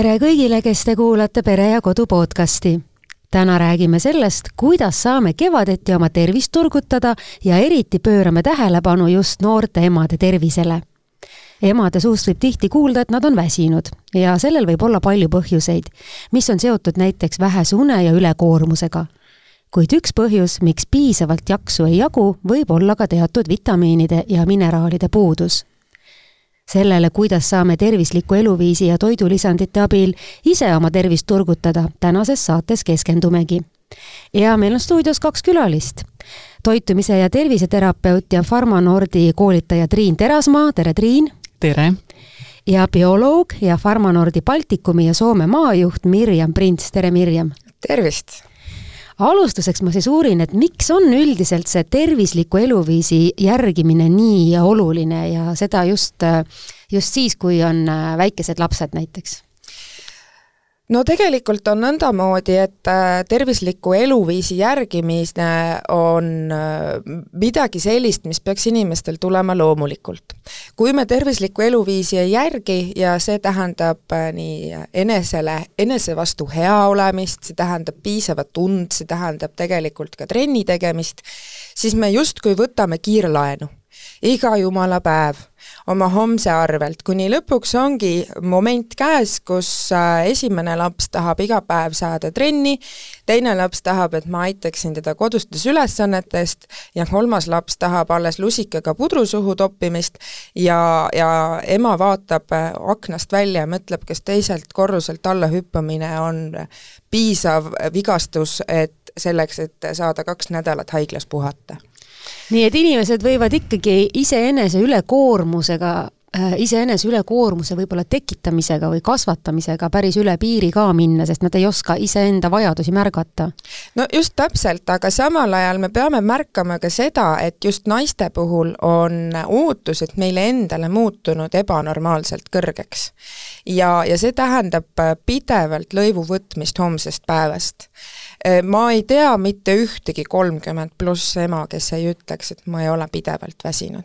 Tere kõigile, kes te kuulate Pere ja Kodu podcasti. Täna räägime sellest, kuidas saame kevadeti oma tervist turgutada ja eriti pöörame tähelepanu just noorte emade tervisele. Emade suust võib tihti kuulda, et nad on väsinud ja sellel võib olla palju põhjuseid, mis on seotud näiteks vähese une ja ülekoormusega. Kuid üks põhjus, miks piisavalt jaksu ei jagu, võib olla ka teatud vitamiinide ja mineraalide puudus. Sellele, kuidas saame tervisliku eluviisi ja toidulisandite abil ise oma tervist turgutada, tänases saates keskendumegi. Ja meil on stuudios 2 külalist. Toitumise ja terviseterapeut ja Pharmanordi koolitaja Triin Terasmaa. Tere, Triin! Tere! Ja bioloog ja Pharmanordi Baltikumi ja Soome maajuht Mirjam Prints. Tere, Mirjam! Tervist! Alustuseks ma siis uurin, et miks on üldiselt see tervisliku eluviisi järgimine nii oluline ja seda just siis, kui on väikesed lapsed näiteks? No tegelikult on nõndamoodi, et tervisliku eluviisi järgimine on midagi sellist, mis peaks inimestel tulema loomulikult. Kui me tervisliku eluviisi ei järgi ja see tähendab nii enese vastu hea olemist, see tähendab piisavat und, see tähendab tegelikult ka trenni tegemist, siis me justkui võtame kiirlaenu. Iga jumala päev oma homse arvelt, kuni lõpuks ongi moment käes, kus esimene laps tahab iga päev saada trenni, teine laps tahab, et ma aitaksin teda kodustes ülesannetest ja 3. laps tahab alles lusikaga pudrusuhu toppimist ja ema vaatab aknast välja ja mõtleb, kas teiselt korruselt alla hüppamine on piisav vigastus, et selleks, et saada 2 nädalat haiglas puhata. Nii et inimesed võivad ikkagi iseenese ülekoormuse võib-olla tekitamisega või kasvatamisega päris üle piiri ka minna, sest nad ei oska iseenda vajadusi märgata. No just täpselt, aga samal ajal me peame märkama ka seda, et just naiste puhul on ootused meile endale muutunud ebanormaalselt kõrgeks. Ja see tähendab pidevalt lõivu võtmist homsest päevast. Ma ei tea mitte ühtegi 30+ ema, kes ei ütleks, et ma ei ole pidevalt väsinud.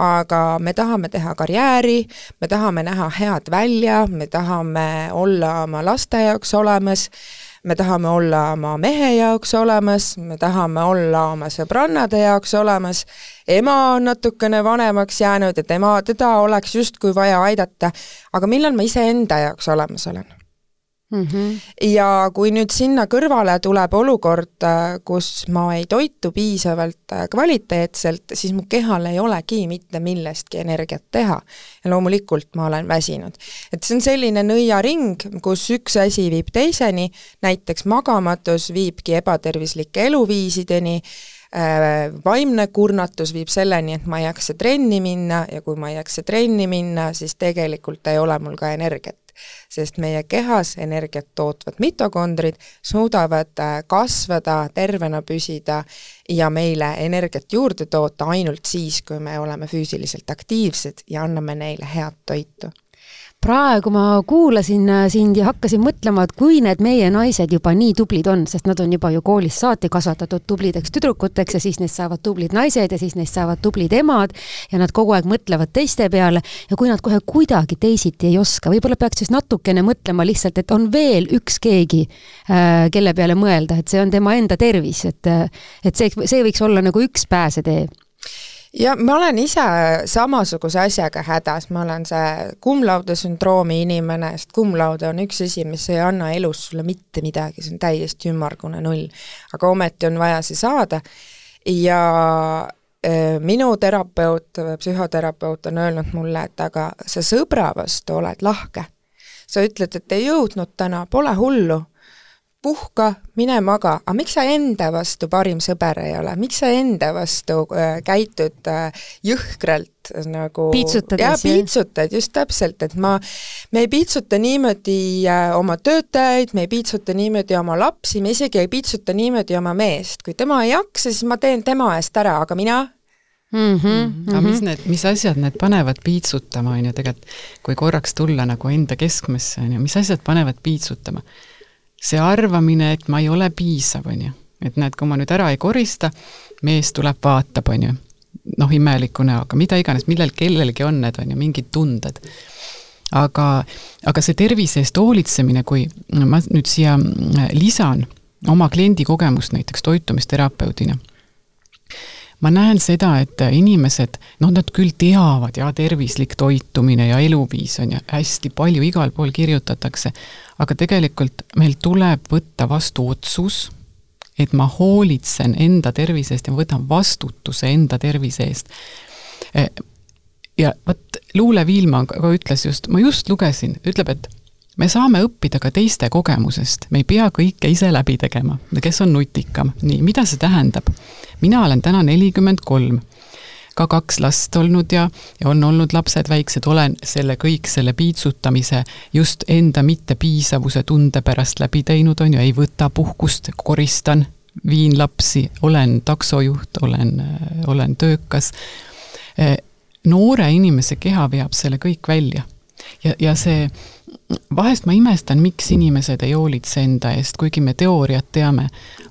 Aga me tahame teha karjääri, me tahame näha head välja, me tahame olla oma laste jaoks olemas, me tahame olla oma mehe jaoks olemas, me tahame olla oma sõbrannade jaoks olemas, ema on natukene vanemaks jäänud, et teda oleks justkui vaja aidata, aga millal ma ise enda jaoks olemas olen? Ja kui nüüd sinna kõrvale tuleb olukord, kus ma ei toitu piisavalt kvaliteetselt, siis mu kehal ei olegi mitte millestki energiat teha. Ja loomulikult ma olen väsinud. Et see on selline nõiaring, kus üks asi viib teiseni, näiteks magamatus viibki ebatervislike eluviisideni, vaimne kurnatus viib selleni, et ma ei jaksa trenni minna ja kui ma ei jaksa trenni minna, siis tegelikult ei ole mul ka energiat. Sest meie kehas energiat tootvad mitokondrid suudavad kasvada, tervena püsida ja meile energiat juurde toota ainult siis, kui me oleme füüsiliselt aktiivsed ja anname neile head toitu. Praegu ma kuulasin sind ja hakkasin mõtlema, et kui need meie naised juba nii tublid on, sest nad on juba ju koolis saati kasvatatud tublideks tüdrukuteks ja siis neist saavad tublid naised ja siis neist saavad tublid emad ja nad kogu aeg mõtlevad teiste peale ja kui nad kohe kuidagi teisiti ei oska, võib-olla peaks siis natukene mõtlema lihtsalt, et on veel üks keegi, kelle peale mõelda, et see on tema enda tervis, et see võiks olla nagu üks pääsetee. Ja ma olen ise samasuguse asjaga hädas, ma olen see kumlaude sündroomi inimene, sest kumlaude on üks asi, mis ei anna elus sulle mitte midagi, see on täiesti ümmargune 0, aga ometi on vaja see saada ja minu terapeut, psühhoterapeut on öelnud mulle, et aga sa sõbra vastu oled lahke, sa ütled, et ei jõudnud täna, pole hullu, puhka, mine maga, aga miks sa enda vastu parim sõber ei ole? Miks sa enda vastu käitud jõhkralt nagu... Piitsutades, ja piitsutad, just täpselt, et me ei piitsuta niimoodi oma töötajaid, me ei piitsuta niimoodi oma lapsi, me isegi ei piitsuta niimoodi oma meest. Kui tema ei jaksa, siis ma teen tema eest ära, aga mina... Aga mis asjad need panevad piitsutama, on ju tegelikult, kui korraks tulla nagu enda keskmesse, on ju, mis asjad panevad piitsutama? See arvamine, et ma ei ole piisav, on ju. Et näed, kui ma nüüd ära ei korista, mees tuleb vaatab, on ju. Imeliku näoga, mida iganes, millel kellelgi on need, on ju, mingid tunded. aga see tervise eest hoolitsemine, kui ma nüüd siia lisan oma kliendi kogemust näiteks toitumisterapeudina, ma näen seda, et inimesed, nad küll teavad ja tervislik toitumine ja eluviis on ja hästi palju igal pool kirjutatakse, aga tegelikult meil tuleb võtta vastu otsus, et ma hoolitsen enda tervise eest ja ma võtan vastutuse enda tervise eest. Ja võt, Luule Viilma ka ütles just, ma just lugesin, ütleb, et me saame õppida ka teiste kogemusest, me ei pea kõike ise läbi tegema, kes on nutikam. Nii, mida see tähendab? Mina olen täna 43, ka 2 last olnud ja on olnud lapsed väiksed, olen selle piitsutamise just enda mittepiisavuse tunde pärast läbi teinud, on ju, ei võta puhkust, koristan, viin lapsi, olen taksojuht, olen töökas. Noore inimese keha veab selle kõik välja ja see vahest ma imestan, miks inimesed ei hoolitse enda eest, kuigi me teooriat teame,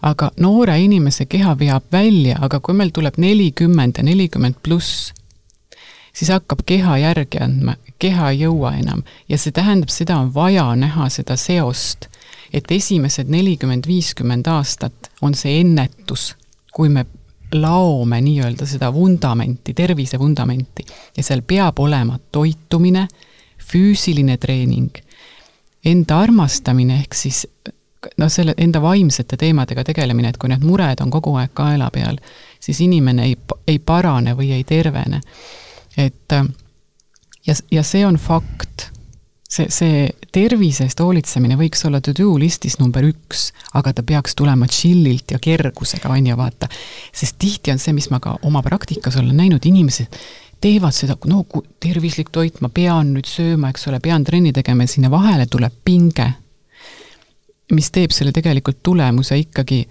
aga noore inimese keha veab välja, aga kui meil tuleb 40 ja 40 pluss, siis hakkab keha järgi andma, keha ei jõua enam ja see tähendab, seda on vaja näha seda seost, et esimesed 40-50 aastat on see ennetus, kui me laome nii-öelda seda vundamenti, tervise vundamenti ja seal peab olema toitumine, füüsiline treening, enda armastamine ehk siis selle enda vaimsete teemadega tegelemine, et kui need mured on kogu aeg kaela peal, siis inimene ei parane või ei tervene. Et, ja see on fakt. See tervisest hoolitsemine võiks olla to-do listis number 1, aga ta peaks tulema chillilt ja kergusega, on ja vaata. Sest tihti on see, mis ma ka oma praktikas olen näinud, inimesed teevad seda, kui tervislik toit, ma pean nüüd sööma, eks ole, pean trenni tegema ja sinna vahele tuleb pinge, mis teeb selle tegelikult tulemuse ikkagi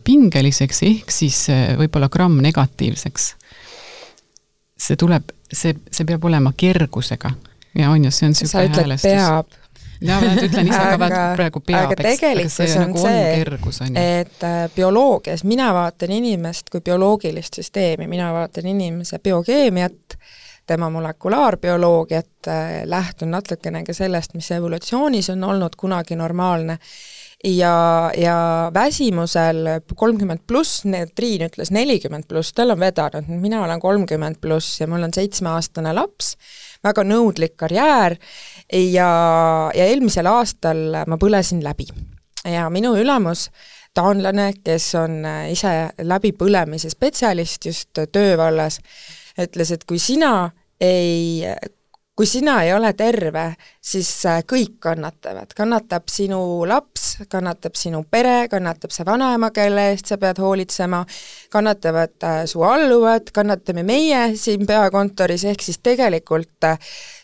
pingeliseks, ehk siis võib-olla gramm negatiivseks. See peab olema kergusega. Ja on ju, see on sa ütled häälestus. Peab. Ja, ma ütlen ise ka praegu peab. Aga tegelikult on see, kergus, on et bioloogias mina vaatan inimest kui bioloogilist süsteemi, mina vaatan inimese biokeemiat, tema molekulaarbioloogiat, lähtun natukene ka sellest, mis evolutsioonis on olnud kunagi normaalne. Ja väsimusel 30 pluss, Triin ütles 40 pluss, tal on vedanud, mina olen 30 pluss ja mul on 7-aastane laps, väga nõudlik karjäär ja eelmisel aastal ma põlesin läbi. Ja minu ülemus, taanlane, kes on ise läbipõlemise spetsialist just töövallas, ütles, et kui sina ei ole terve, siis kõik kannatavad. Kannatab sinu laps, kannatab sinu pere, kannatab see vanaema, kelle eest sa pead hoolitsema, kannatavad su alluvad, kannatame meie siin peakontoris, ehk siis tegelikult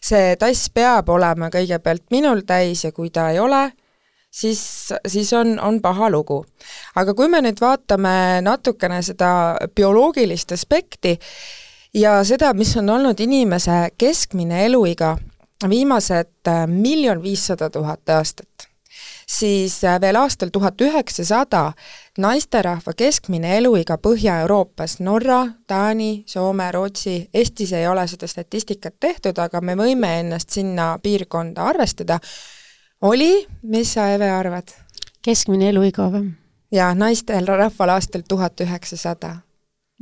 see tass peab olema kõigepealt minul täis ja kui ta ei ole, siis on paha lugu. Aga kui me nüüd vaatame natukene seda bioloogilist aspekti, ja seda, mis on olnud inimese keskmine eluiga viimased 1 500 000 aastat, siis veel aastal 1900 naisterahva keskmine eluiga Põhja-Euroopas, Norra, Taani, Soome, Rootsi, Eestis ei ole seda statistikat tehtud, aga me võime ennast sinna piirkonda arvestada, oli, mis sa, Eve, arvad? Keskmine eluiga või? Ja naistel rahval aastal 1900.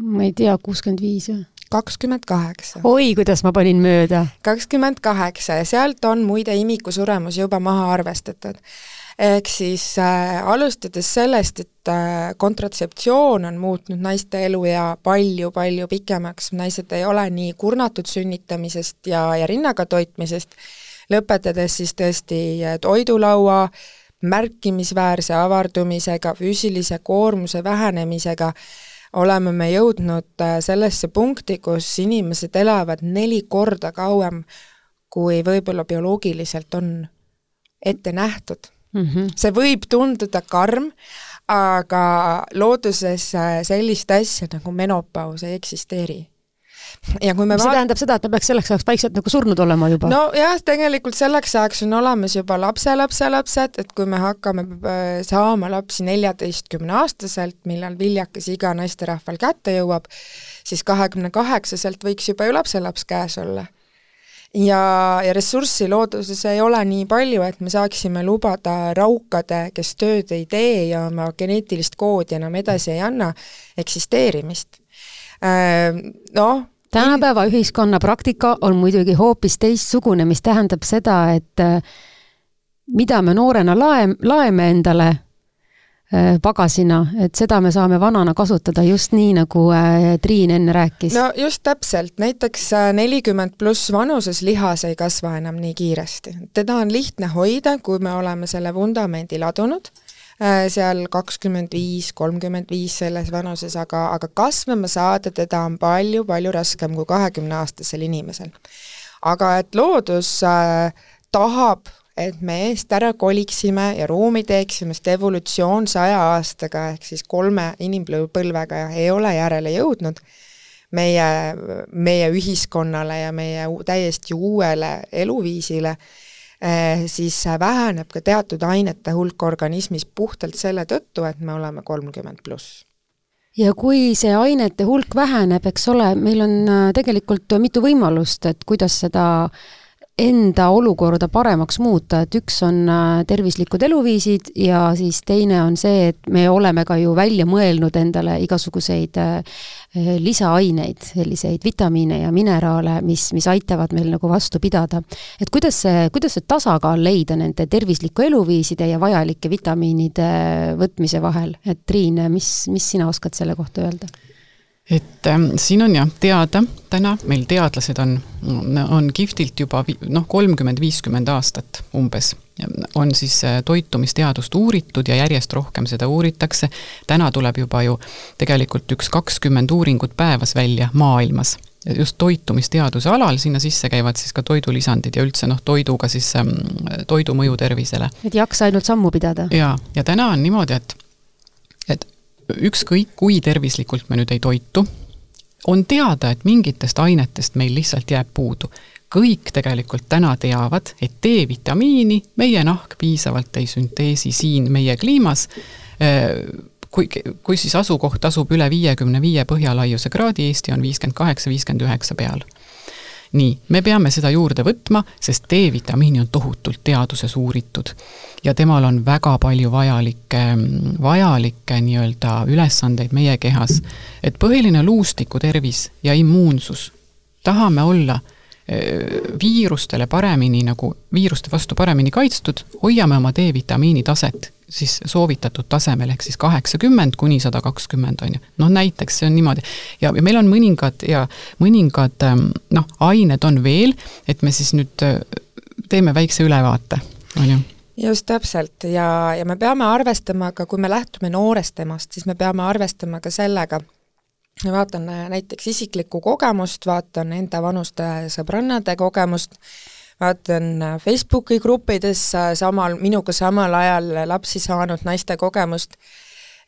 Ma ei tea, 65 või? 28. Oi, kuidas ma panin mööda. 28 ja sealt on muide imikusuremus juba maha arvestatud. Ehk siis alustades sellest, et kontratseptsioon on muutnud naiste elu ja palju pikemaks, naised ei ole nii kurnatud sünnitamisest ja rinnaga toitmisest, lõpetades siis tõesti toidulaua märkimisväärse avardumisega, füüsilise koormuse vähenemisega, oleme me jõudnud sellesse punkti, kus inimesed elavad 4 korda kauem, kui võib-olla bioloogiliselt on ette nähtud. See võib tunduda karm, aga looduses sellist asja nagu menopaus ei eksisteeri. Ja kui me see tähendab seda, et me peaks selleks ajaks vaikselt nagu surnud olema juba? No jah, tegelikult selleks ajaks on olemas juba lapselapsed, et kui me hakkame saama lapsi 14-aastaselt, millal viljakas iga naisterahval kätte jõuab, siis 28-selt võiks juba ju lapselaps käes olla. ja ressurssi looduses ei ole nii palju, et me saaksime lubada raukade, kes tööd ei tee ja oma geneetilist koodi enam edasi ei anna, eksisteerimist. Tänapäeva ühiskonna praktika on muidugi hoopis teistsugune, mis tähendab seda, et mida me noorena laeme endale pagasina, et seda me saame vanana kasutada just nii, nagu Triin enne rääkis. No just täpselt, näiteks 40+ vanuses lihas ei kasva enam nii kiiresti. Teda on lihtne hoida, kui me oleme selle vundamendi ladunud, seal 25-35 selles vanuses, aga kasvama saada teda on palju raskem kui 20-aastasel inimesel. Aga et loodus tahab, et me eest ära koliksime ja ruumi teeksime, sest evolutsioon 100 aastaga ehk siis 3 inimpõlvega ei ole järele jõudnud meie ühiskonnale ja meie täiesti uuele eluviisile, siis väheneb ka teatud ainete hulk organismis puhtalt selle tõttu, et me oleme 30+. Ja kui see ainete hulk väheneb, eks ole, meil on tegelikult mitu võimalust, et kuidas seda enda olukorda paremaks muuta, et üks on tervislikud eluviisid ja siis teine on see, et me oleme ka ju välja mõelnud endale igasuguseid lisaaineid, selliseid vitamiine ja mineraale, mis aitavad meil nagu vastu pidada. Et kuidas see tasakaal leida nende tervisliku eluviiside ja vajalike vitamiinide võtmise vahel? Et Triin, mis sina oskad selle kohta öelda? Et siin on teada, täna meil teadlased on kihvtilt juba 30-50 aastat umbes, on siis toitumisteadust uuritud ja järjest rohkem seda uuritakse. Täna tuleb juba ju tegelikult 20 uuringut päevas välja maailmas. Just toitumisteaduse alal, sinna sisse käivad siis ka toidulisandid ja üldse toiduga siis toidu mõju tervisele. Et jaksa ainult sammu pidada. Ja täna on niimoodi, et ükskõik kui tervislikult me nüüd ei toitu, on teada, et mingitest ainetest meil lihtsalt jääb puudu. Kõik tegelikult täna teavad, et D-vitamiini meie nahk piisavalt ei sünteesi siin meie kliimas, kui siis asukoht asub üle 55 põhjalaiuse kraadi, Eesti on 58-59 peal. Nii, me peame seda juurde võtma, sest D-vitamiini on tohutult teaduses uuritud ja temal on väga palju vajalikke nii-öelda ülesandeid meie kehas, et põhiline luustiku tervis ja immuunsus, tahame olla viirustele paremini, nagu viiruste vastu paremini kaitstud, hoiame oma D-vitamiini taset siis soovitatud tasemel, ehk siis 80 kuni 120 on ju. Näiteks see on niimoodi. Ja meil on mõningad ained on veel, et me siis nüüd teeme väikse ülevaate, on ju. Just täpselt ja me peame arvestama ka, kui me lähtume noorest emast, siis me peame arvestama ka sellega, vaatan näiteks isiklikku kogemust, vaatan enda vanuste sõbrannade kogemust, vaatan Facebooki gruppides minuga samal ajal lapsi saanud naiste kogemust,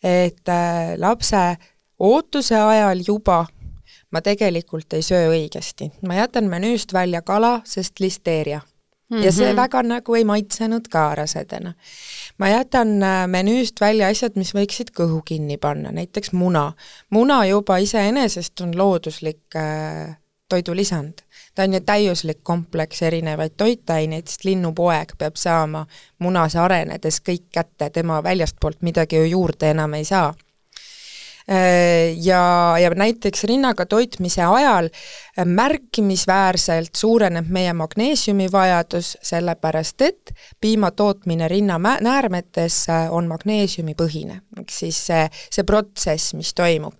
et lapse ootuse ajal juba ma tegelikult ei söö õigesti. Ma jätan menüüst välja kala, sest listeeria. Ja see väga nagu ei maitsenud ka rasedena. Ma jätan menüüst välja asjad, mis võiksid kõhu kinni panna, näiteks muna. Muna juba iseenesest on looduslik toidulisand. Ta on ju täiuslik kompleks erinevaid toitaineid, sest linnupoeg peab saama munas arenedes kõik kätte, tema väljastpoolt midagi ju juurde enam ei saa. Ja näiteks rinnaga toitmise ajal märkimisväärselt suureneb meie magneesiumi vajadus, sellepärast et piima tootmine rinnanäärmetes on magneesiumi põhine, siis see protsess, mis toimub.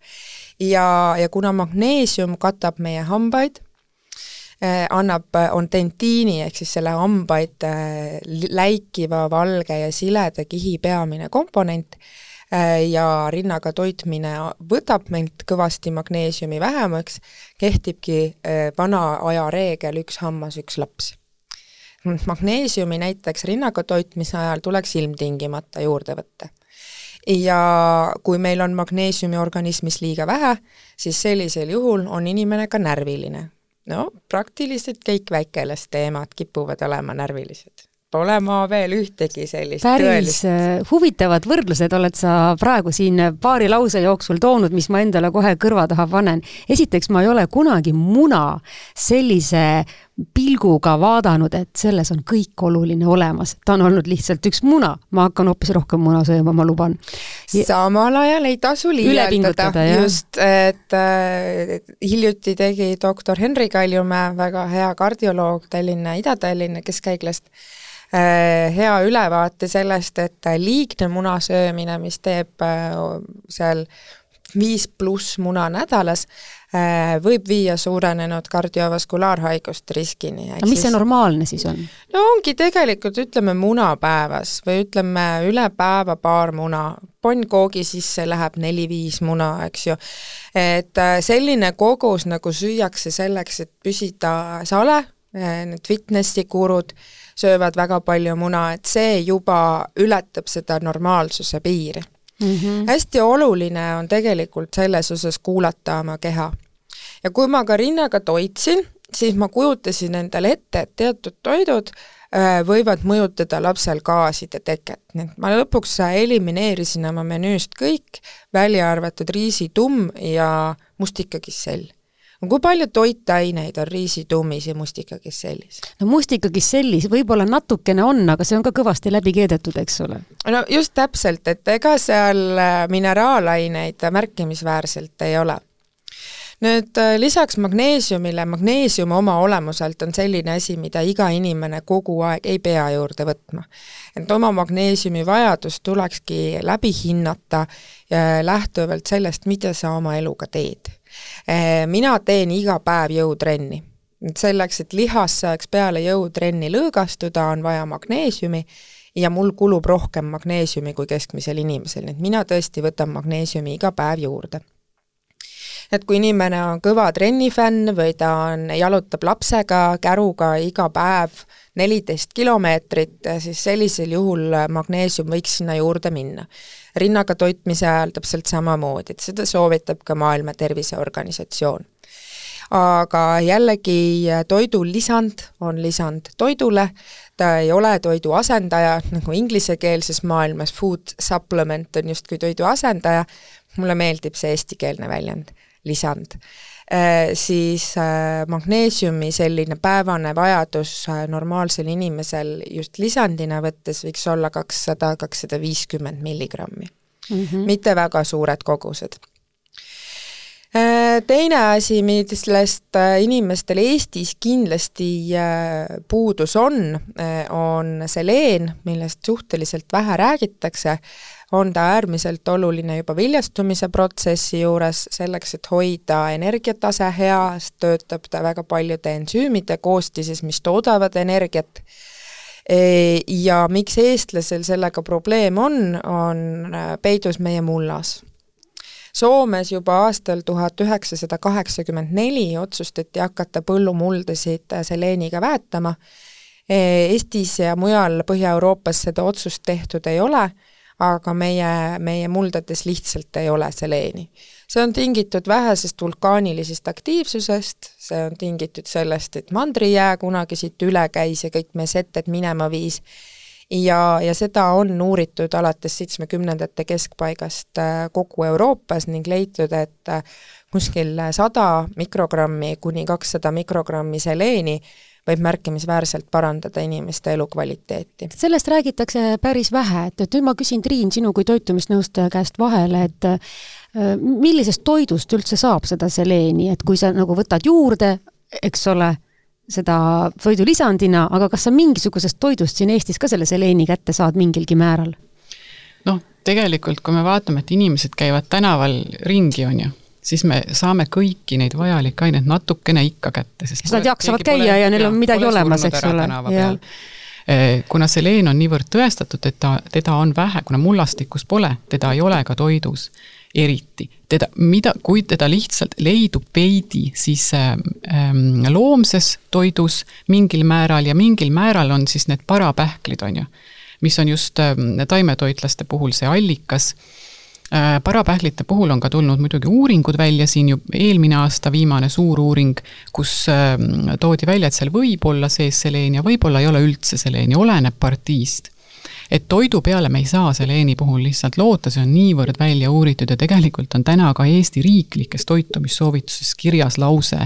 Ja kuna magneesium katab meie hambaid, on dentiini ehk siis selle hambaid läikiva, valge ja sileda kihi peamine komponent ja rinnaga toitmine võtab meilt kõvasti magneesiumi vähemaks, kehtibki vana aja reegel 1 hammas, 1 laps. Magneesiumi näiteks rinnaga toitmise ajal tuleks ilmtingimata juurde võtta. Ja kui meil on magneesiumi organismis liiga vähe, siis sellisel juhul on inimene ka närviline. Praktiliselt kõik väikelaste emad kipuvad olema närvilised. pole ma veel ühtegi sellist päris huvitavad võrdlused oled sa praegu siin paari lause jooksul toonud, mis ma endale kohe kõrva taha panen. Esiteks, ma ei ole kunagi muna sellise pilguga vaadanud, et selles on kõik oluline olemas. Ta on olnud lihtsalt üks muna. Ma hakkan hoopis rohkem muna sööma, ma luban. Samal ajal ei tasu liialdada. Just, et hiljuti tegi doktor Henri Kaljumäe, väga hea kardioloog Ida-Tallinna Keskhaiglast, hea ülevaate sellest, et liigne munasöömine, mis teeb seal 5+ muna nädalas, võib viia suurenenud kardiovaskulaarhaiguste riskini. Mis see normaalne siis on? No ongi tegelikult, ütleme, muna päevas või ütleme üle päeva paar muna. Ponnkoogi sisse läheb 4-5 muna, eks ju. Et selline kogus nagu süüakse selleks, et püsida sale, need fitnessi kurud söövad väga palju muna, et see juba ületab seda normaalsuse piiri. Hästi oluline on tegelikult selles osas kuulata oma keha. Ja kui ma ka rinnaga toitsin, siis ma kujutasin endale ette, et teatud toidud võivad mõjutada lapsel gaaside teket. Ma lõpuks elimineerisin oma menüüst kõik, välja arvatud riisitumm ja mustikakissell. Kui palju toitaineid on riisitummis ja mustikakissellis? No mustikakissellis võib-olla natukene on, aga see on ka kõvasti läbi keedetud, eks ole? No just täpselt, et ega seal mineraalaineid märkimisväärselt ei ole. Nüüd lisaks magneesiumile, magneesium oma olemuselt on selline asi, mida iga inimene kogu aeg ei pea juurde võtma. Et oma magneesiumi vajadus tulekski läbi hinnata lähtuvalt sellest, mida sa oma eluga teed. Mina teen iga päev jõutrenni. Selleks, et lihas saaks peale jõutrenni lõõgastuda, on vaja magneesiumi ja mul kulub rohkem magneesiumi kui keskmisel inimesel. Nii et mina tõesti võtan magneesiumi iga päev juurde. Et kui inimene on kõva trennifänn või ta jalutab lapsega, käruga iga päev 14 kilomeetrit, siis sellisel juhul magneesium võiks sinna juurde minna. Rinnaga toitmise ajal täpselt samamoodi, et seda soovitab ka Maailma Terviseorganisatsioon. Aga jällegi toidu lisand on lisand toidule, ta ei ole toidu asendaja, nagu inglisekeelses maailmas food supplement on justkui toidu asendaja, mulle meeldib see eestikeelne väljend, lisand. Siis magneesiumi selline päevane vajadus normaalsel inimesel just lisandina võttes võiks olla 200-250 milligrammi. Mitte väga suured kogused. Teine asi, millest inimestel Eestis kindlasti puudus on seleen, millest suhteliselt vähe räägitakse, on ta äärmiselt oluline juba viljastumise protsessi juures, selleks, et hoida energiatase hea, töötab ta väga paljude ensüümide koostises, mis toodavad energiat. Ja miks eestlasel sellega probleem on peidus meie mullas. Soomes juba aastal 1984 otsustati hakata põllumuldasid seleeniga väetama. Eestis ja mujal Põhja-Euroopas seda otsust tehtud ei ole, aga meie muldades lihtsalt ei ole seleeni. See on tingitud vähesest vulkaanilisest aktiivsusest, see on tingitud sellest, et mandrijää kunagi siit üle käis ja kõik meie seted minema viis. Ja seda on uuritud alates 70. keskpaigast kogu Euroopas ning leitud, et kuskil 100 mikrogrammi kuni 200 mikrogrammi seleeni võib märkimisväärselt parandada inimeste elukvaliteeti. Sellest räägitakse päris vähe, et nüüd ma küsin Triin sinu kui toitumisnõustaja käest vahele, et millisest toidust üldse saab seda seleeni, et kui sa nagu võtad juurde, eks ole, seda toidu lisandina, aga kas sa mingisugusest toidust siin Eestis ka selle seleeni kätte saad mingilgi määral? Tegelikult, kui me vaatame, et inimesed käivad tänaval ringi, on ju, siis me saame kõiki neid vajalikke aineid natukene ikka kätte. Sest nad jaksavad käia ja neil on midagi olemas, eks ole. Kuna seleen on niivõrd tõestatud, et teda on vähe, kuna mullastikus pole, teda ei ole ka toidus eriti. Kui teda lihtsalt leidub veidi, siis loomses toidus mingil määral ja mingil määral on siis need parapähklid, on ju, mis on just taimetoitlaste puhul see allikas. Parapähklite puhul on ka tulnud muidugi uuringud välja, siin ju eelmine aasta viimane suur uuring, kus toodi välja, et seal võib olla sees seleeni ja võib-olla ei ole üldse seleeni, oleneb partiist. Et toidu peale me ei saa seleeni puhul lihtsalt loota, see on niivõrd välja uuritud ja tegelikult on täna ka Eesti riiklikes toitumissoovituses kirjas lause,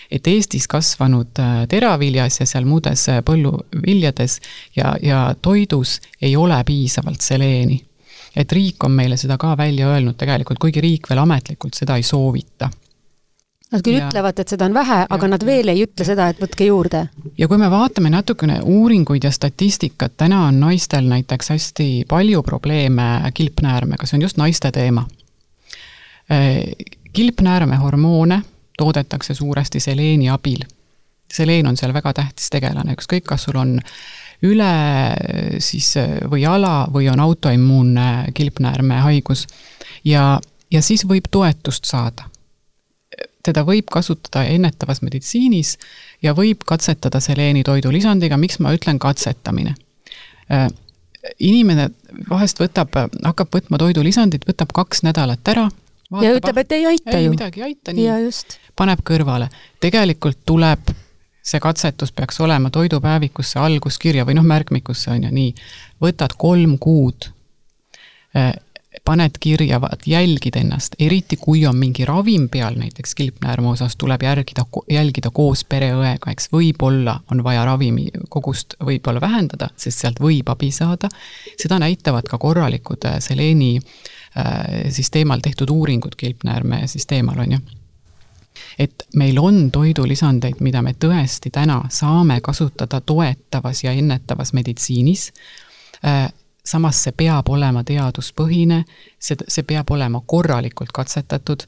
et Eestis kasvanud teraviljas ja seal muudes põlluviljades ja toidus ei ole piisavalt seleeni. Et riik on meile seda ka välja öelnud tegelikult, kuigi riik veel ametlikult seda ei soovita. Nad küll ütlevad, et seda on vähe, aga nad veel ei ütle seda, et võtke juurde. Ja kui me vaatame natukene uuringuid ja statistikat, täna on naistel näiteks hästi palju probleeme kilpnäärmega, see on just naiste teema. Kilpnäärme hormoone toodetakse suuresti seleeni abil. Seleen on seal väga tähtis tegelane, ükskõik kas sul on üle siis või ala või on autoimmuunne kilpnäärme haigus ja siis võib toetust saada. Teda võib kasutada ennetavas meditsiinis ja võib katsetada seleeni toidulisandiga, miks ma ütlen katsetamine. Inimene vahest hakkab võtma toidulisandit, võtab 2 nädalat ära. Ja ütleb, et ei aita ju. Midagi ei aita, nii. Paneb kõrvale. Tegelikult tuleb see katsetus peaks olema toidupäevikusse alguskirja või märkmikusse on ju nii. Võtad 3 kuud, paned kirja, jälgid ennast, eriti kui on mingi ravim peal, näiteks kilpnäärme osas tuleb jälgida koos pereõega, eks võib-olla on vaja ravimi kogust võib-olla vähendada, sest sealt võib abi saada. Seda näitavad ka korralikud seleeni siis teemal tehtud uuringud kilpnäärme siis teemal on ju. Et meil on toidulisandeid, mida me tõesti täna saame kasutada toetavas ja ennetavas meditsiinis. Samas see peab olema teaduspõhine, see peab olema korralikult katsetatud,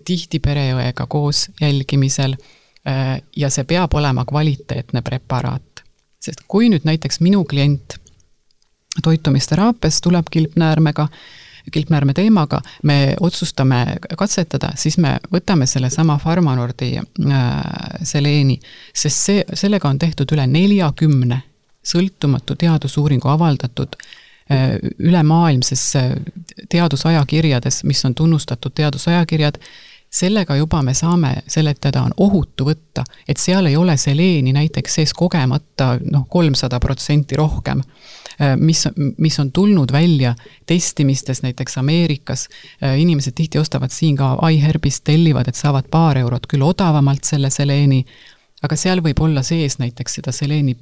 tihti pereõega koos jälgimisel ja see peab olema kvaliteetne preparaat. Sest kui nüüd näiteks minu klient toitumisteraapias tuleb kilpnäärme teemaga, me otsustame katsetada, siis me võtame selle sama Pharmanordi seleeni, sest sellega on tehtud üle 40 sõltumatu teadusuuringu avaldatud ülemaailmses teadusajakirjades, mis on tunnustatud teadusajakirjad, sellega juba me saame seletada, on ohutu võtta, et seal ei ole seleeni näiteks sees kogemata 300% rohkem, mis on tulnud välja testimistes näiteks Ameerikas. Inimesed tihti ostavad siin ka iHerbist, tellivad, et saavad paar eurot küll odavamalt selle seleeni, aga seal võib olla sees näiteks seda seleeni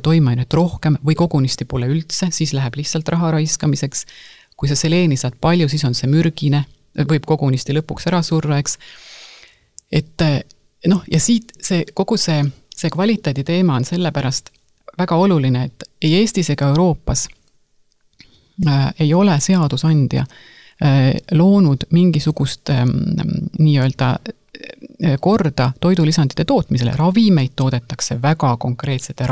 toimainet rohkem või kogunisti pole üldse, siis läheb lihtsalt raha raiskamiseks. Kui sa seleeni saad palju, siis on see mürgine, võib kogunisti lõpuks ära surra, eks. Et ja siit kogu see kvaliteedi teema on sellepärast väga oluline, et ei Eestis ega Euroopas ei ole seadusandja loonud mingisugust nii-öelda korda toidulisandite tootmisele. Ravimeid toodetakse väga konkreetsete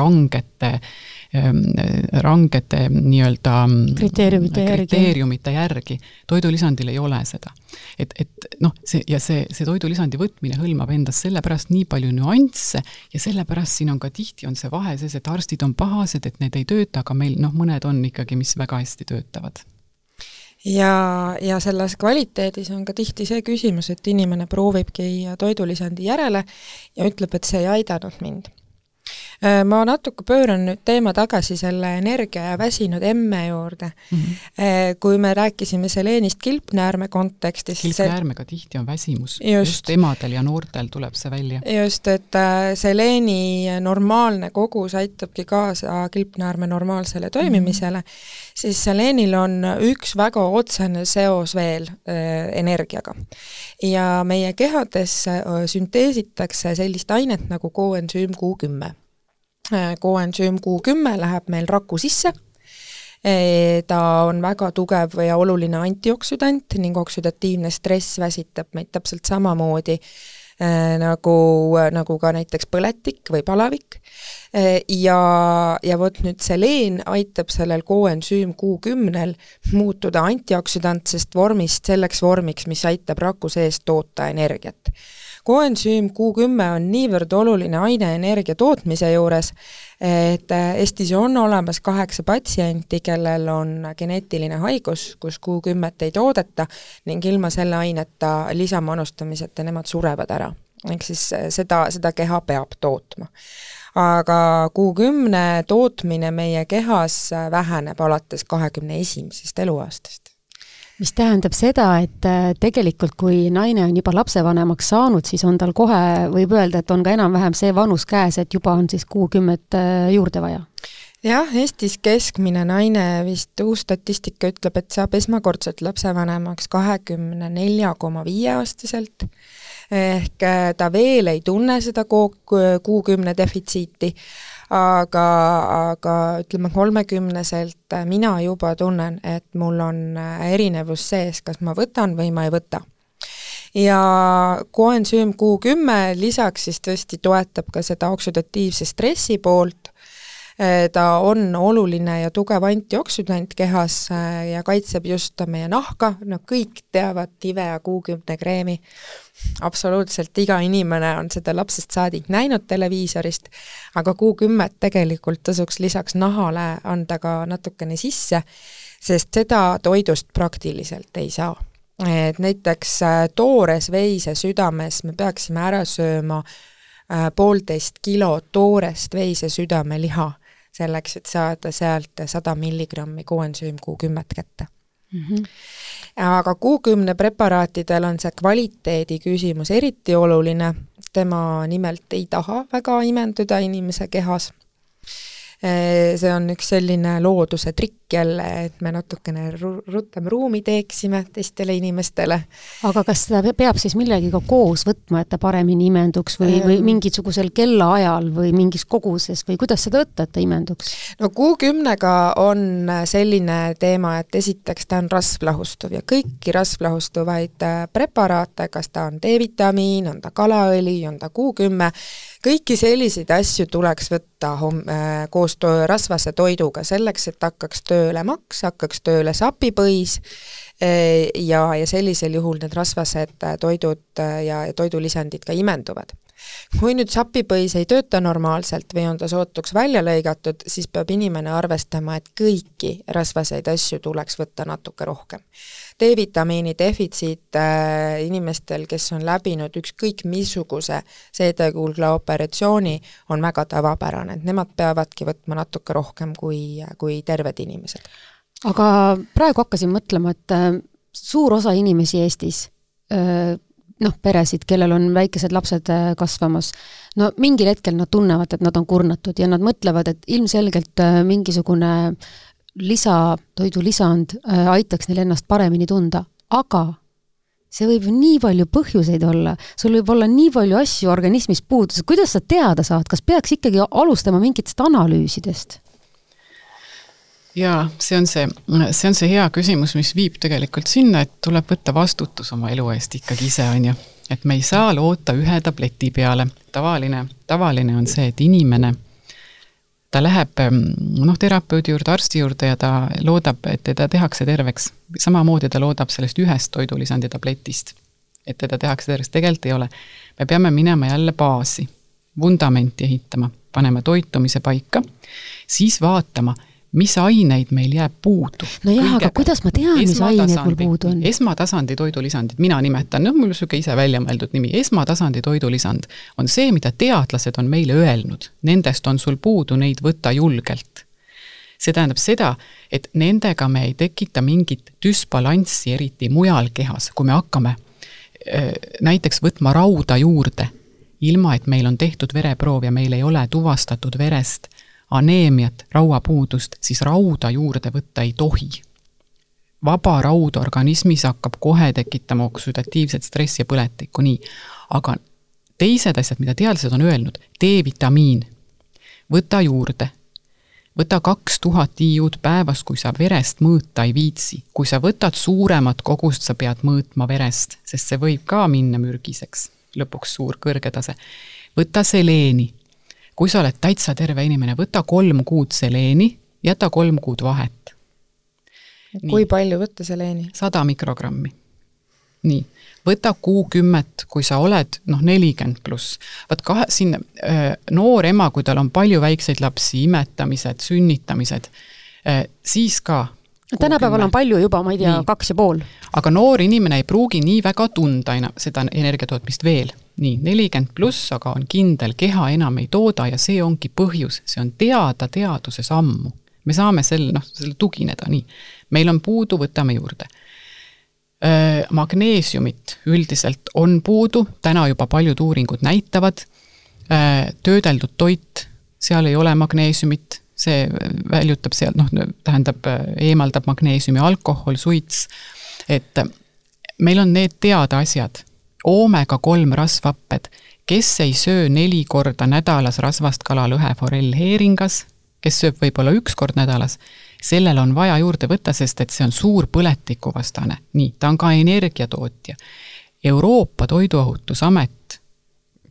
rangete nii-öelda kriteeriumite järgi. Toidulisandil ei ole seda. See toidulisandi võtmine hõlmab endas sellepärast nii palju nüansse ja sellepärast siin on ka tihti on see vahe sees, et arstid on pahased, et need ei tööta, aga meil mõned on ikkagi, mis väga hästi töötavad. Ja selles kvaliteedis on ka tihti see küsimus, et inimene proovibki toidulisandi järele ja ütleb, et see ei aidanud mind. Ma natuke pööran nüüd teema tagasi selle energia ja väsinud emme juurde. Kui me rääkisime seleenist kilpnäärme kontekstis. Kilpnäärmega tihti on väsimus. Just emadel ja noortel tuleb see välja. Just, et seleeni normaalne kogus aitabki kaasa kilpnäärme normaalsele toimimisele, siis seleenil on üks väga otsene seos veel energiaga. Ja meie kehadesse sünteesitakse sellist ainet nagu koensüüm Q10. Koensüüm Q10 läheb meil raku sisse. Ta on väga tugev ja oluline antioksüdant ning oksüdatiivne stress väsitab meid täpselt samamoodi nagu ka näiteks põletik või palavik. Ja võt nüüd seleen aitab sellel koensüüm Q10 muutuda antioksüdantsest vormist selleks vormiks, mis aitab raku sees toota energiat. Koensüüm Q10 on niivõrd oluline aine energia tootmise juures, et Eestis on olemas 8 patsienti, kellel on geneetiline haigus, kus Q10 ei toodeta ning ilma selle aineta lisamanustamiseta nemad surevad ära. Ehk siis seda keha peab tootma. Aga Q10 tootmine meie kehas väheneb alates 21. eluaastast. Mis tähendab seda, et tegelikult kui naine on juba lapsevanemaks saanud, siis on tal kohe, võib öelda, et on ka enam-vähem see vanus käes, et juba on siis Q10 juurde vaja. Jah, Eestis keskmine naine vist uus statistika ütleb, et saab esmakordselt lapsevanemaks 24,5-aastaselt, ehk ta veel ei tunne seda Q10 defitsiiti, aga ütleme 30-selt mina juba tunnen, et mul on erinevus sees, kas ma võtan või ma ei võta. Ja koensüüm Q10 lisaks siis tõesti toetab ka seda oksüdatiivse stressi poolt. Ta on oluline ja tugev antioksüdant kehas ja kaitseb just meie nahka, kõik teavad Nivea Q10 kreemi. Absoluutselt iga inimene on seda lapsest saadik näinud televiisorist, aga Q10 tegelikult tasuks lisaks nahale anda ka natukene sisse, sest seda toidust praktiliselt ei saa. Et näiteks toores veise südames me peaksime ära sööma 1,5 kilo toorest veise südame liha, selleks, et saada sealt 100 milligrammi koensüüm Q10 kätte. Aga Q10 preparaatidel on see kvaliteedi küsimus eriti oluline, tema nimelt ei taha väga imenduda inimese kehas. See on üks selline looduse trikk jälle, et me natukene rutem ruumi teeksime teistele inimestele. Aga kas seda peab siis millegiga koos võtma, et ta paremini imenduks või mingisugusel kellaajal või mingis koguses või kuidas seda võtta, et ta imenduks? No Q10-ga on selline teema, et esiteks ta on rasvlahustuv ja kõiki rasvlahustuvaid preparaate, kas ta on D-vitamiin, on ta kalaõli, on ta Q10, kõiki selliseid asju tuleks võtta koos rasvase toiduga selleks, et hakkaks tööle maks, hakkaks tööle sapipõis ja sellisel juhul need rasvased toidud ja toidulisandid ka imenduvad. Kui nüüd sapipõis ei tööta normaalselt või on ta sootuks välja lõigatud, siis peab inimene arvestama, et kõiki rasvaseid asju tuleks võtta natuke rohkem. D-vitamiini defitsiit inimestel, kes on läbinud ükskõik missuguse seedekulgla operatsiooni, on väga tavapärane, et nemad peavadki võtma natuke rohkem kui terved inimesed. Aga praegu hakkasin mõtlema, et suur osa inimesi Eestis, peresid, kellel on väikesed lapsed kasvamas, mingil hetkel nad tunnevad, et nad on kurnatud ja nad mõtlevad, et ilmselgelt mingisugune toidulisand aitaks neil ennast paremini tunda, aga see võib nii palju põhjuseid olla, sul võib olla nii palju asju organismis puudus, kuidas sa teada saad, kas peaks ikkagi alustama mingitest analüüsidest? Jaa, see on see hea küsimus, mis viib tegelikult sinna, et tuleb võtta vastutus oma elu eest ikkagi ise, on ju. Et me ei saa loota ühe tableti peale. Tavaline on see, et inimene, ta läheb terapeudi juurde, arsti juurde ja ta loodab, et teda tehakse terveks. Samamoodi ta loodab sellest ühest toidulisandi tabletist, et teda tehakse terveks. Tegelikult ei ole. Me peame minema jälle baasi, vundamenti ehitama, panema toitumise paika, siis vaatama, mis aineid meil jääb puudu. No jah, aga kuidas ma tean, mis aineid mul puudu on? Esmatasandi toidulisandid, mina nimetan, mul on süke ise välja mõeldud nimi, esmatasandi toidulisand on see, mida teadlased on meile öelnud. Nendest on sul puudu, neid võtta julgelt. See tähendab seda, et nendega me ei tekita mingit düsbalanssi eriti mujal kehas, kui me hakkame näiteks võtma rauda juurde, ilma et meil on tehtud vereproov ja meil ei ole tuvastatud verest aneemiat, rauapuudust, siis rauda juurde võtta ei tohi. Vaba raud organismis hakkab kohe tekitama oksüdatiivset stressi ja põletikku, nii. Aga teised asjad, mida teadlased on öelnud, D-vitamiin, võta juurde, võta 2000 IU-d päevas, kui sa verest mõõta ei viitsi. Kui sa võtad suuremat kogust, sa pead mõõtma verest, sest see võib ka minna mürgiseks, lõpuks suur kõrge tase. Võta seleeni. Kui sa oled täitsa terve inimene, võta 3 kuud seleeni, jäta 3 kuud vahet. Kui palju võtta seleeni? 100 mikrogrammi. nii, võta Q10, kui sa oled 40 pluss, siin noor ema, kui tal on palju väikseid lapsi, imetamised, sünnitamised, siis ka tänapäeval on palju juba, ma ei tea, 2,5. Aga noor inimene ei pruugi nii väga tunda seda energiatootmist veel. Nii, 40 pluss, aga on kindel, keha enam ei tooda ja see ongi põhjus, see on teada teaduse sammu. Me saame selle tugineda nii. Meil on puudu, võtame juurde. Magneesiumit üldiselt on puudu, täna juba paljud uuringud näitavad, töödeldud toit, seal ei ole magneesiumit, see väljutab sealt, tähendab, eemaldab magneesiumi, alkohol, suits, et meil on need teada asjad, omega-3 rasvhapped, kes ei söö 4 korda nädalas rasvast kala, lõhe, forell, heeringas, kes sööb võib-olla 1 kord nädalas, sellel on vaja juurde võtta, sest et see on suur põletikuvastane. Nii, ta on ka energiatootja. Euroopa Toiduohutusamet,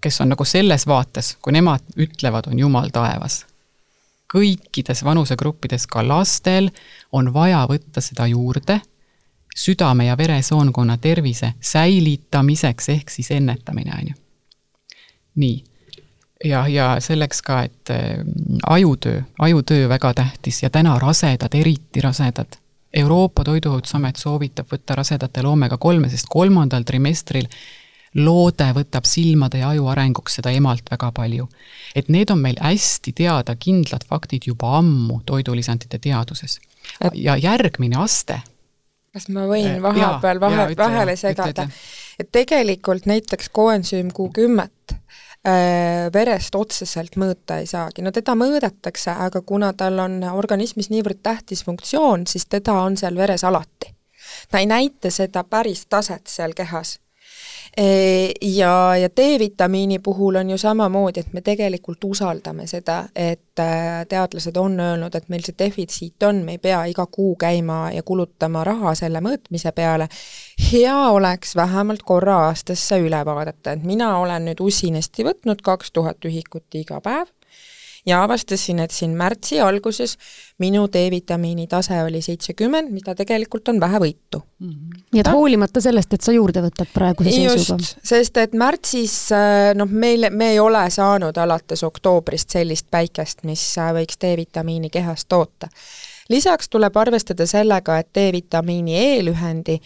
kes on nagu selles vaates, kui nemad ütlevad, on jumal taevas. Kõikides vanusegruppides, ka lastel, on vaja võtta seda juurde südame- ja veresoonkonna tervise säilitamiseks ehk siis ennetamine. Nii. Ja selleks ka, et ajutöö väga tähtis ja täna rasedad, eriti rasedad. Euroopa Toiduohutusamet soovitab võtta rasedatel omega-3, sest 3. trimestril loode võtab silmade ja aju arenguks seda emalt väga palju. Et need on meil hästi teada kindlad faktid juba ammu toidulisandite teaduses. Ja järgmine aste. Kas ma võin vahepeal vahele segada? Et tegelikult näiteks koensüüm Q10 verest otseselt mõõta ei saagi. No teda mõõdetakse, aga kuna tal on organismis niivõrd tähtis funktsioon, siis teda on seal veres alati. Ta ei näita seda päris taset seal kehas. Ja D-vitamiini puhul on ju samamoodi, et me tegelikult usaldame seda, et teadlased on öelnud, et meil see defitsiit on, me ei pea iga kuu käima ja kulutama raha selle mõõtmise peale. Hea oleks vähemalt korra aastasse üle vaadata, et mina olen nüüd usinesti võtnud 2000 ühikut iga päev ja avastasin, et siin märtsi alguses minu D-vitamiini tase oli 70, mida tegelikult on vähe võitu. Nii et hoolimata sellest, et sa juurde võtad praeguse seisuga. Just, sest et märtsis me ei ole saanud alates oktoobrist sellist päikest, mis võiks D-vitamiini kehast toota. Lisaks tuleb arvestada sellega, et D-vitamiini E-lühendi,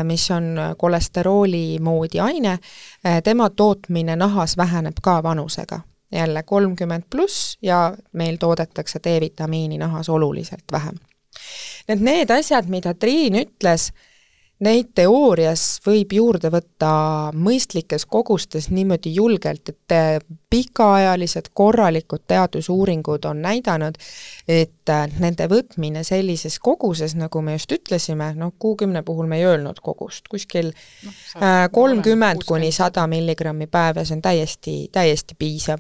mis on kolesterooli moodi aine, tema tootmine nahas väheneb ka vanusega. Jälle 30 pluss ja meil toodetakse D-vitamiini nahas oluliselt vähem. Need asjad, mida Triin ütles, neid teoorias võib juurde võtta mõistlikes kogustes niimoodi julgelt, et pikaajalised korralikud teadusuuringud on näidanud, et nende võtmine sellises koguses, nagu me just ütlesime, Q10 puhul me ei öelnud kogust, kuskil 30 kuni 100 milligrammi päevas on täiesti piisav.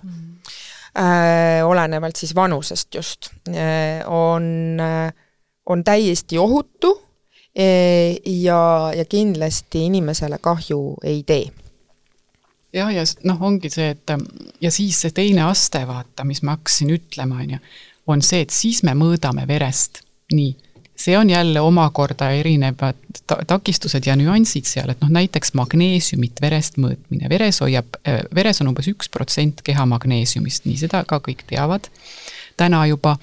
Olenevalt siis vanusest just, on täiesti ohutu ja kindlasti inimesele kahju ei tee. Ja ongi see, et ja siis see teine aste vaata, mis ma hakkasin ütlema, on see, et siis me mõõdame verest. Nii, see on jälle omakorda erinevad takistused ja nüansid seal, et näiteks magneesiumit verest mõõtmine. Veres on umbes 1% keha magneesiumist, nii seda ka kõik teavad. Täna juba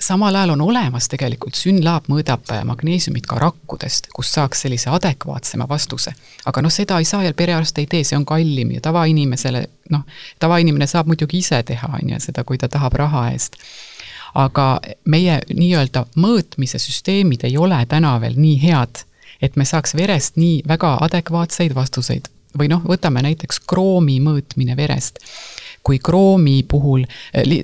samal ajal on olemas tegelikult, SYNLAB mõõdab magneesiumit ka rakkudest, kus saaks sellise adekvaatsema vastuse. Aga seda ei saa ja perearst ei tee, see on kallim ja tavainimene saab muidugi ise teha seda, kui ta tahab raha eest. Aga meie nii-öelda mõõtmise süsteemid ei ole täna veel nii head, et me saaks verest nii väga adekvaatseid vastuseid. Või võtame näiteks kroomi mõõtmine verest. Kui kroomi puhul,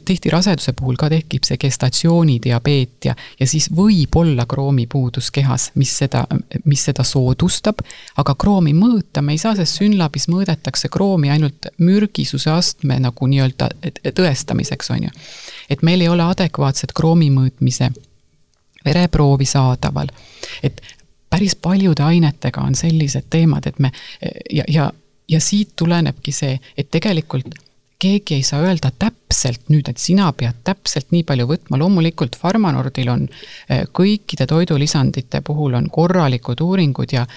tihti raseduse puhul ka tekib see gestatsioonidiabeet ja siis võib olla kroomi puudus kehas, mis seda soodustab, aga kroomi mõõta me ei saa, sest SYNLABis mõõdetakse kroomi ainult mürgisuse astme nagu nii-öelda tõestamiseks on ju. Et meil ei ole adekvaatset kroomi mõõtmise vereproovi saadaval. Et päris paljude ainetega on sellised teemad, et me ja siit tulenebki see, et tegelikult keegi ei saa öelda täpselt nüüd, et sina pead täpselt nii palju võtma. Loomulikult Pharmanordil on kõikide toidulisandite puhul on korralikud uuringud ja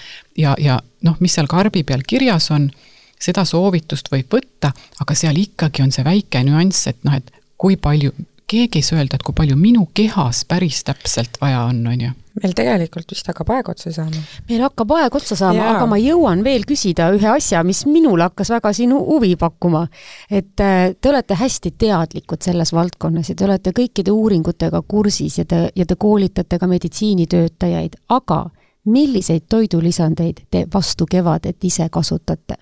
mis seal karbi peal kirjas on, seda soovitust võib võtta, aga seal ikkagi on see väike nüanss, et et kui palju, keegi ei saa öelda, et kui palju minu kehas päris täpselt vaja on ju. Meil tegelikult vist hakkab aeg otsa saama. Meil hakkab aeg otsa saama, aga ma jõuan veel küsida ühe asja, mis minul hakkas väga sinu huvi pakkuma. Et te olete hästi teadlikud selles valdkonnas ja te olete kõikide uuringutega kursis ja te koolitate ka meditsiinitöötajaid, aga milliseid toidulisandeid te vastu kevadet ise kasutate?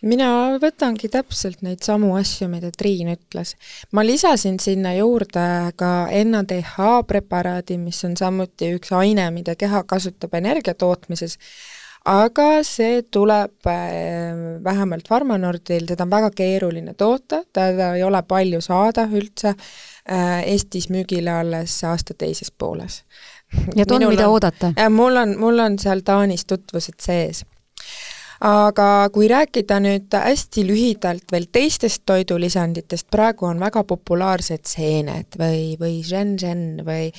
Mina võtangi täpselt neid samu asju, mida Triin ütles. Ma lisasin sinna juurde ka NADH preparaadi, mis on samuti üks aine, mida keha kasutab energia tootmises, aga see tuleb vähemalt Pharmanordil, teda on väga keeruline toota, teda ei ole palju saada üldse, Eestis müügile alles aasta teises pooles. Ja on mida oodata? Mul on seal Taanis tutvused sees. Aga kui rääkida nüüd hästi lühidalt veel teistest toidulisanditest, praegu on väga populaarsed seened või zhen-zhen või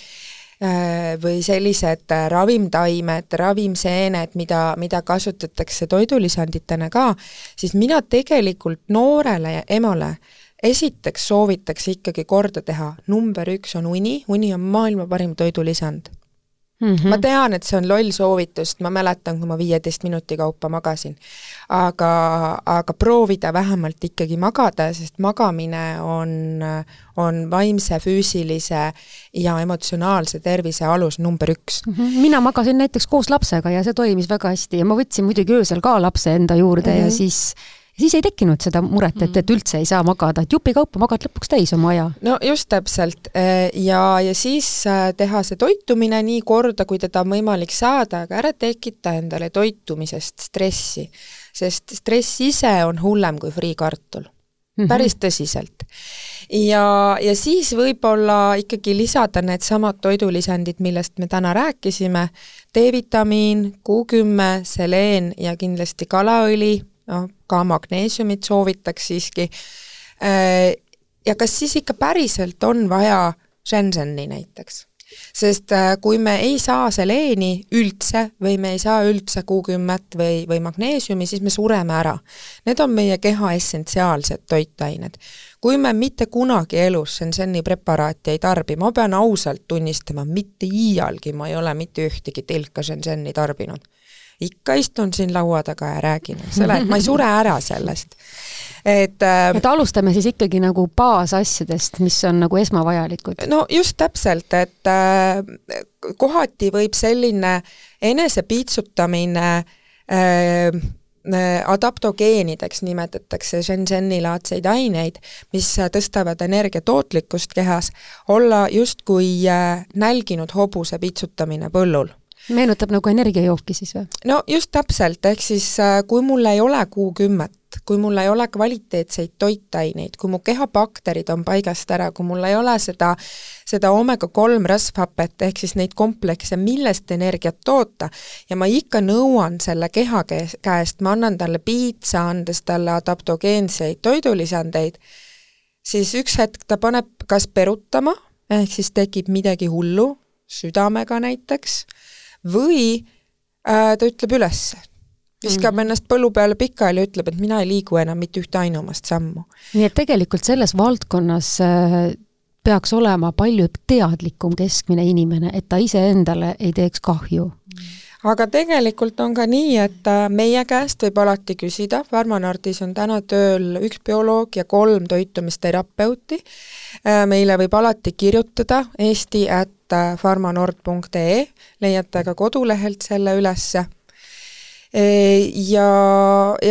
sellised ravimtaimed, ravimseened, mida kasutatakse toidulisanditena ka, siis mina tegelikult noorele ja emale esiteks soovitaks ikkagi korda teha. Number 1 on uni on maailma parim toidulisand. Ma tean, et see on loll soovitust, ma mäletan, kui ma 15 minuti kaupa magasin, aga proovida vähemalt ikkagi magada, sest magamine on vaimse, füüsilise ja emotsionaalse tervise alus number 1. Mina magasin näiteks koos lapsega ja see toimis väga hästi ja ma võtsin muidugi öösel ka lapse enda juurde ja siis ei tekkinud seda muret, et üldse ei saa magada, et jupi kaupa magad lõpuks täis oma aja. No just täpselt ja siis teha see toitumine nii korda, kui teda on võimalik saada, aga ära tekita endale toitumisest stressi, sest stress ise on hullem kui friikartul. Päris tõsiselt. Ja siis võib-olla ikkagi lisada need samad toidulisandid, millest me täna rääkisime, D-vitamiin, Q10, seleen ja kindlasti kalaõli, ka magneesiumit soovitaks siiski. Ja kas siis ikka päriselt on vaja zhen-zheni näiteks? Sest kui me ei saa seleeni üldse või me ei saa üldse Q10 või magneesiumi, siis me sureme ära. Need on meie keha essentsiaalsed toitained. Kui me mitte kunagi elus zhen-zheni preparaati ei tarbi, ma pean ausalt tunnistama, mitte iialgi ma ei ole mitte ühtegi tilka zhen-zheni tarbinud. Ikka istun siin laua taga ja räägin, et ma ei sure ära sellest. Et alustame siis ikkagi nagu baasasjadest, mis on nagu esmavajalikud. No just täpselt, et kohati võib selline enesepiitsutamine adaptogeenideks nimetatakse zhen-zheni-laadseid aineid, mis tõstavad energiatootlikkust kehas, olla justkui nälginud hobuse piitsutamine põllul. Meenutab nagu energiajooki siis või? No just täpselt, ehk siis kui mul ei ole Q10, kui mul ei ole kvaliteetseid toitaineid, kui mu kehapakterid on paigast ära, kui mul ei ole seda omega-3 rasvhapet, ehk siis neid komplekse, millest energiat toota, ja ma ikka nõuan selle keha käest, ma annan talle piitsa, andes talle adaptogeenseid toidulisandeid, siis üks hetk ta paneb kas perutama, ehk siis tekib midagi hullu, südamega näiteks, või ta ütleb üles. Viskab ennast põllu peale pikali ja ütleb, et mina ei liigu enam mitte ühte ainumast sammu. Nii et tegelikult selles valdkonnas peaks olema palju teadlikum keskmine inimene, et ta ise endale ei teeks kahju. Aga tegelikult on ka nii, et meie käest võib alati küsida, Pharmanordis on täna tööl 1 bioloog ja 3 toitumisterapeuti. Meile võib alati kirjutada eesti@pharmanord.ee, leiate ka kodulehelt selle ülesse. Ja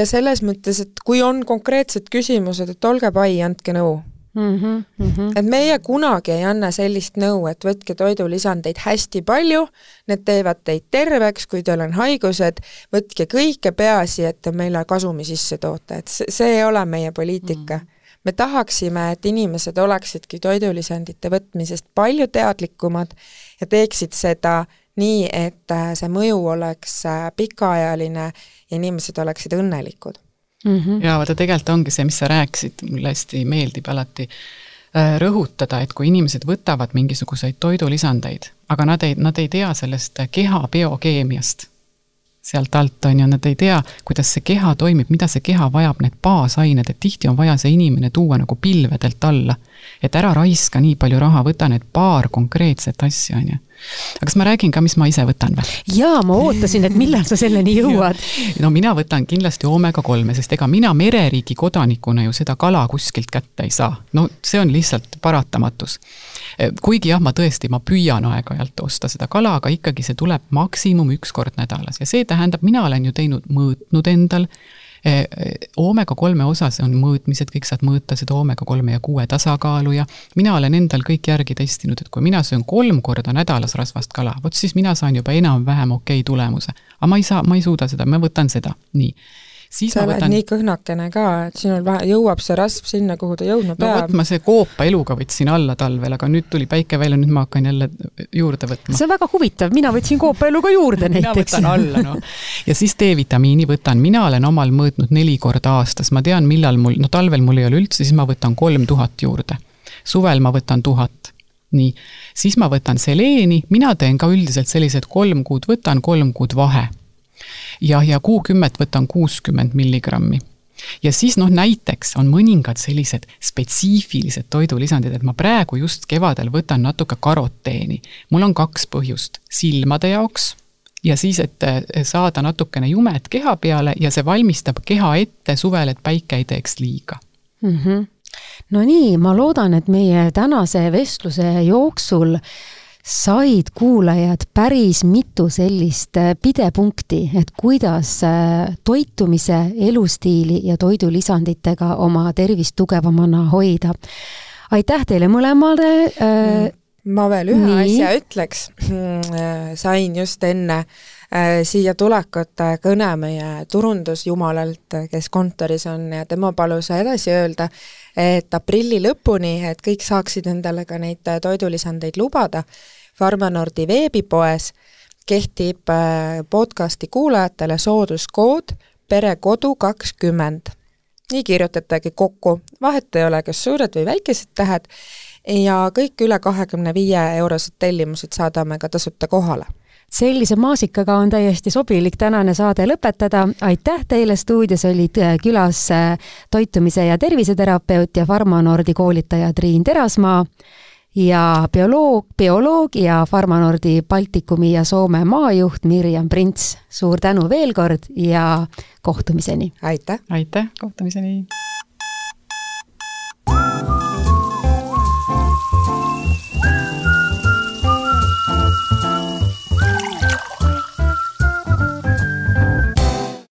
selles mõttes, et kui on konkreetsed küsimused, et olge pai, andke nõu. Et meie kunagi ei anna sellist nõu, et võtke toidulisandeid hästi palju, need teevad teid terveks, kui teil on haigused, võtke kõike peaasi, et meile kasumi sisse toota, et see ei ole meie poliitika. Me tahaksime, et inimesed oleksidki toidulisandite võtmisest palju teadlikumad ja teeksid seda nii, et see mõju oleks pikaajaline ja inimesed oleksid õnnelikud. Ja vaata, tegelikult ongi see, mis sa rääkisid, mulle hästi meeldib alati rõhutada, et kui inimesed võtavad mingisuguseid toidulisandeid, aga nad ei tea sellest keha biokeemiast sealt alt, on ju, nad ei tea, kuidas see keha toimib, mida see keha vajab, need baasained, et tihti on vaja see inimene tuua nagu pilvedelt alla. Et ära raiska nii palju raha, võta need paar konkreetset asja, on ju. Aga kas ma räägin ka, mis ma ise võtan või? Jaa, ma ootasin, et millal sa selleni jõuad. No mina võtan kindlasti omega-3, sest ega mina mereriigi kodanikuna ju seda kala kuskilt kätte ei saa. No see on lihtsalt paratamatus. Kuigi jah, ma püüan aeg-ajalt osta seda kala, aga ikkagi see tuleb maksimum 1 kord nädalas. Ja see tähendab, mina olen ju mõõtnud endal, omega-3 osas on mõõtmised, kõik saad mõõta seda omega-3 ja 6 tasakaalu ja mina olen endal kõik järgi testinud, et kui mina söön 3 korda nädalas rasvast kala, vot siis mina saan juba enam-vähem okei tulemuse. Aga ma ei suuda seda, ma võtan seda. Nii. Siis sa oled nii kõhnakene ka, et sinul jõuab see rasv sinna, kuhu ta jõudma peab. No ma see koopa eluga võtsin alla talvel, aga nüüd tuli päike välja, nüüd ma hakkan jälle juurde võtma. See on väga huvitav, mina võtsin koopa eluga juurde näiteks. Mina võtan alla, no. Ja siis D-vitamiini võtan, mina olen omal mõõtnud 4 korda aastas, ma tean, millal talvel mul ei ole üldse, siis ma võtan 3000 juurde. Suvel ma võtan 1000. Nii, siis ma võtan seleeni, mina teen ka üldiselt sellised 3 kuud võtan, 3 kuud vahe. Ja kuu 10 võtan 60 milligrammi. Ja siis näiteks on mõningad sellised spetsiifilised toidulisandid, et ma praegu just kevadel võtan natuke karoteeni. Mul on 2 põhjust. Silmade jaoks ja siis, et saada natukene jumet keha peale ja see valmistab keha ette suvel, et päike ei teeks liiga. No nii, ma loodan, et meie tänase vestluse jooksul said kuulajad päris mitu sellist pidepunkti, et kuidas toitumise, elustiili ja toidulisanditega oma tervist tugevamana hoida. Aitäh teile mõlemale. Ma veel ühe asja ütleks. Sain just enne siia tulekut kõne meie turundusjumalalt, kes kontoris on ja tema palus edasi öelda, et aprilli lõpuni, et kõik saaksid endale ka neid toidulisandeid lubada. Farmanordi veebipoes kehtib podcasti kuulajatele sooduskood perekodu 20. Nii kirjutatagi kokku. Vahet ei ole, kas suured või väikesed tähed ja kõik üle 25 eurosed tellimused saadame ka tasuta kohale. Sellise maasikaga on täiesti sobilik tänane saade lõpetada. Aitäh teile, stuudios olid külas toitumise ja terviseterapeut ja Farmanordi koolitaja Triin Terasmaa ja bioloog ja Farmanordi Baltikumi ja Soome maajuht Mirjam Prints. Suur tänu veel kord ja kohtumiseni. Aitäh! Aitäh, kohtumiseni!